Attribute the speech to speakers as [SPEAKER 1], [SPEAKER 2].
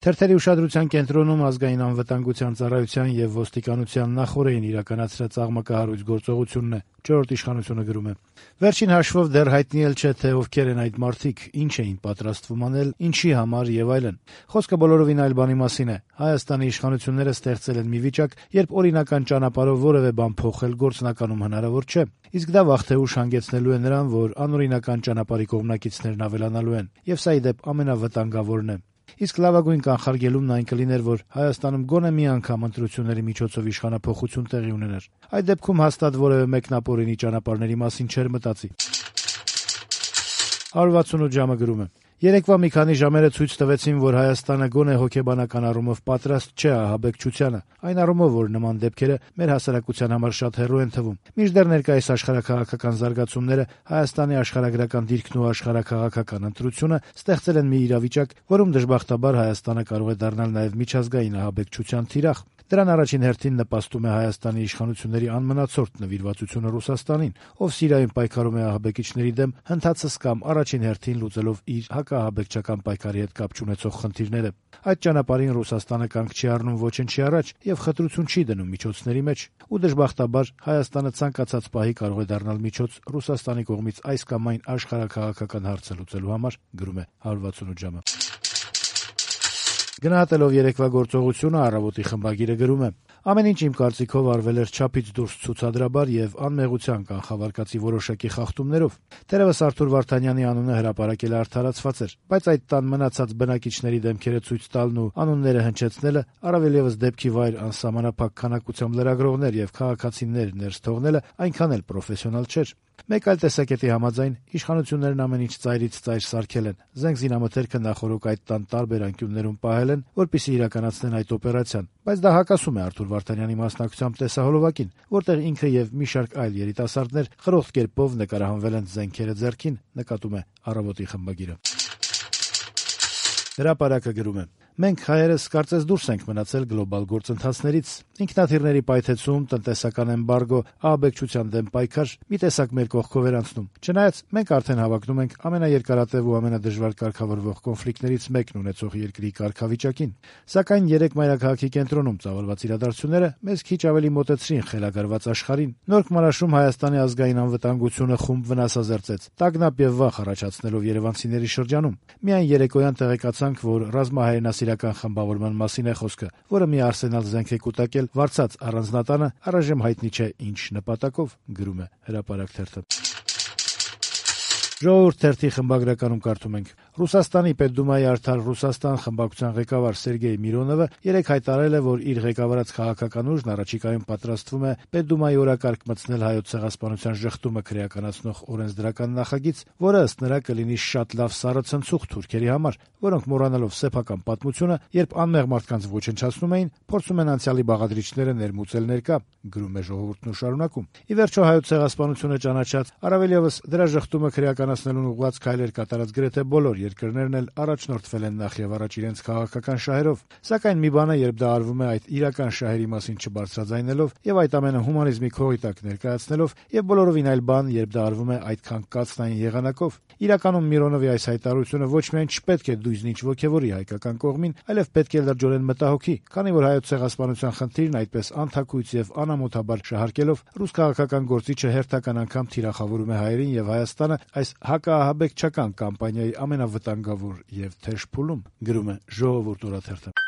[SPEAKER 1] Թերթերի ուշադրության կենտրոնում ազգային անվտանգության ծառայության եւ ոստիկանության նախօրեին իրականացրած աղմկահարույց գործողությունն է, «Չորրորդ իշխանությունը» գրում է. Վերջին հաշվով դեռ հայտնի էլ չէ, թե ովքեր են այդ մարդիկ, ինչ էին պատրաստվում անել, ինչի համար եւ այլն։ Խոսքը բոլորովին այլ բանի մասին է։ Հայաստանի իշխանությունները ստեղծել են մի վիճակ, երբ օրինական ճանապարհով որևէ բան փոխել գործնականում հնարավոր չէ։ Իսկ դա վաղ թե ուշ հանգեցնելու է նրան, որ անօրինական ճանապարհի կողմնակիցներն ավելանալու են, եւ սա ի դեպ ամենավտանգավորն է։ Իսկ լավագույն կանխարգելումն այն կլիներ, որ Հայաստանում գոնե մի անգամ ընտրությունների միջոցով իշխանափոխություն տեղի ունենար։ Այդ դեպքում հաստատ որևէ մեկն ապօրինի ճանապարհների մասին չէր մտածի։ 168 ժամը գրում է. Երեկվա մի քանի ժամերը ցույց տվեցին, որ Հայաստանը գոնե հոգեբանական առումով պատրաստ չէ ահաբեկչությանը, այն առումով, որ նման դեպքերը մեր հասարակության համար շատ հեռու են թվում։ Մինչդեռ ներկայիս աշխարհաքաղաքական զարգացումները, Հայաստանի աշխարհագրական դիրքն ու աշխարհաքաղաքական ընտրությունը ստեղծել են մի իրավիճակ, որում դժբախտաբար Հայաստանը կարող է դառնալ նաև միջազգային ահաբեկչության թիրախ։ Դրան առաջին հերթին նպաստում է Հայաստանի իշխանությունների անմնացորդ նվիրվածությունը Ռուսաստանին, ով Սիրիայում պայքարում է ահաբեկիչների դեմ, հնդածս կամ առաջին հերթին լուծելով իր հակաահաբեկչական պայքարի հետ կապ չունեցող խնդիրները։ Այդ ճանապարհին Ռուսաստանը կանգ չի առնում ոչնչի առաջ եւ խտրություն չի դնում միջոցների մեջ, ու դժբախտաբար Հայաստանը ցանկացած պահի կարող է դառնալ միջոց Ռուսաստանի կողմից այս կամ այն աշխարհաքաղաքական հարցը լուծելու համար, գրում է 168 ժամը։ Գնահատելով երեկվա գործողությունը Առավոտի խմբագիրը գրում է. ամեն ինչ իմ կարծիքով արվել էր չափից դուրս ցուցադրաբար եւ անմեղության կանխավարկածի որոշակի խախտումներով։ Թերևս Արթուր Վարդանյանի անունը հրապարակել արդարացված էր, բայց այդ տան մնացած բնակիչների դեմքերը ցույց տալն ու անունները հնչեցնելը, առավել եւս դեպքի վայր անսահմանափակ քանակությամբ լրագրողներ եւ քաղաքացիներ ներս թողնելը այնքան էլ պրոֆեսիոնալ չէր։ Մեկ այլ տեսակետի համաձայն իշխանություններն ամեն ինչ ծայրից ծայր սարքել են, զենք զինամթերքը նախօրոք այդ տան տարբեր անկյուններում պահել են, որպեսզի իրականացնեն այդ օպերացիան, բայց դա հակասում է Արթուր Վարդանյանի մասնակցությամբ տեսահոլովակին, որտեղ ինքը եւ մի շարք այլ երիտասարդներ խրոխտ կերպով նկարահանվել են զենքերը ձեռքին, նկատում է Առավոտի խմբագիրը։ Հրապարակը գրում է. Մենք հայերս կարծես դուրս ենք մնացել գլոբալ գործընթացներից։ Ինքնաթիռների պայթեցում, տնտեսական էմբարգո, ահաբեկչության դեմ պայքար մի տեսակ մեր կողքով էր անցնում։ Չնայած մենք արդեն հավակնում ենք ամենաերկարատև ու ամենադժվար կարգավորվող կոնֆլիկտներից մեկն ունեցող երկրի կարգավիճակին։ Սակայն երեք մայրաքաղաքի կենտրոնում ծավալված իրադարձությունները մեզ քիչ ավելի մոտեցրին խելագարված աշխարհին։ Նոր Քմարաշում Հայաստանի ազգային անվտանգությունը խումբ վնասազերծեց, տագնապ եւ վախ առաջացնելով երևանցիների շրջանում։ Միայն երեկոյան տեղեկացանք, որ ռազմահայրենասիրական խմբավորման մասին է խոսքը, որը մի արսենալ զենք է կուտակել վարձած առանձնատանը, առայժմ հայտնի չէ ինչ նպատակով, գրում է Հրապարակ թերթը։ Ժողովուրդ թերթի խմբագրականում կարդում ենք. Ռուսաստանի Պետդումայի Արդար Ռուսաստան խմբակցության ղեկավար Սերգեյ Միրոնովը երեկ հայտարարել է, որ իր ղեկավարած քաղաքական ուժն առաջիկայում պատրաստվում է Պետդումայի օրակարգ մտցնել Հայոց ցեղասպանության ժխտումը քրեականացնող օրենսդրական նախագիծ, որը ըստ նրա կլինի շատ լավ սառը ցնցուղ թուրքերի համար, որոնք մոռանալով սեփական պատմությունը, երբ անմեղ մարդկանց ոչնչացնում էին, փորձում են անցյալի բաղադրիչները ներմուծել ներկա, գրում է Ժողովուրդն ու շարունակում. Ի վերջո Հայոց ցեղասպանությունը ճանաչած, առավել եւս դրա ժխտումը քրեականացնելուն ուղղված քայլեր կատարած գրեթե բոլոր երկրներն էլ առաջնորդվել են նախ եւ առաջ իրենց քաղաքական շահերով, սակայն մի բան է, երբ դա արվում է այդ իրական շահերի մասին չբարձրաձայնելով եւ այդ ամենը հումանիզմի քողի տակ ներկայացնելով, եւ բոլորովին այլ բան, երբ դա արվում է այդքան կացնային եղանակով։ Իրականում Միրոնովի այս հայտարարությունը ոչ միայն չպետք է դույզնիչ ոգևորի հայկական կողմին, այլև պետք է լրջորեն մտահոգի, քանի որ Հայոց ցեղասպանության խնդիրն այդպես անթակույց եւ անամոթաբար շահարկելով ռուս քաղաքական գործիչը հերթական անգամ թիրախավորում է հայերին եւ Հայաստանը այս հակաահաբեկչական կամպանիայի ամենավտանգավոր եւ թեժ փուլում, գրում է Ժողովուրդ օրաթերթը։